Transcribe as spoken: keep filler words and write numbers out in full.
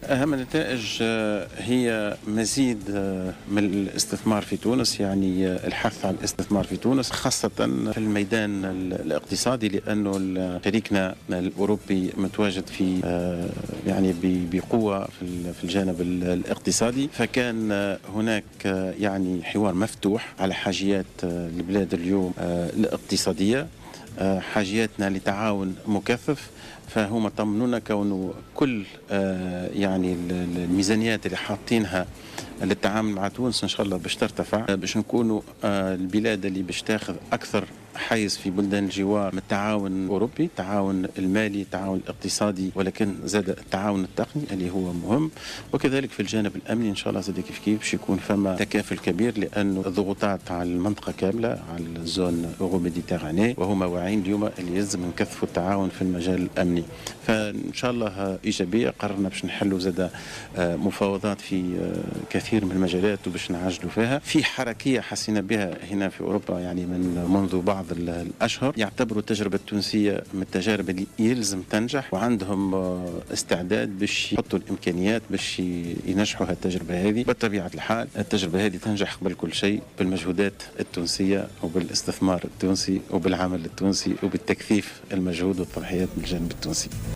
أهم النتائج هي مزيد من الاستثمار في تونس، يعني الحث على الاستثمار في تونس خاصة في الميدان الاقتصادي، لأنه شريكنا الأوروبي متواجد في يعني بقوة في الجانب الاقتصادي، فكان هناك يعني حوار مفتوح على حاجيات البلاد اليوم الاقتصادية، حاجياتنا لتعاون مكثف. فهما طمنونا كونه كل يعني الميزانيات اللي حاطينها للتعامل مع تونس ان شاء الله باش ترتفع، باش نكونوا البلاد اللي باش تاخذ اكثر حيز في بلدان الجوار من التعاون الاوروبي، التعاون المالي، التعاون الاقتصادي، ولكن زاد التعاون التقني اللي هو مهم، وكذلك في الجانب الامني ان شاء الله زاد كيف كيف باش يكون فما تكافل كبير، لانه الضغوطات على المنطقة كاملة على ال zone Euroméditerranée، وهما واعيين اليوم اللي يلزم نكثفوا التعاون في المجال الامني. فان شاء الله ايجابيه، قررنا باش نحلوا زاد مفاوضات في كثير من المجالات وباش نعجلوا فيها. في حركية حسينا بها هنا في اوروبا يعني من منذ بعض الاشهر، يعتبروا التجربة التونسية من التجارب اللي يلزم تنجح، وعندهم استعداد باش يحطوا الامكانيات باش ينجحوا هالتجربه هذه. بطبيعة الحال التجربة هذه تنجح قبل كل شيء بالمجهودات التونسية وبالاستثمار التونسي وبالعمل التونسي وبالتكثيف المجهود والتضحيات من الجانب التونسي.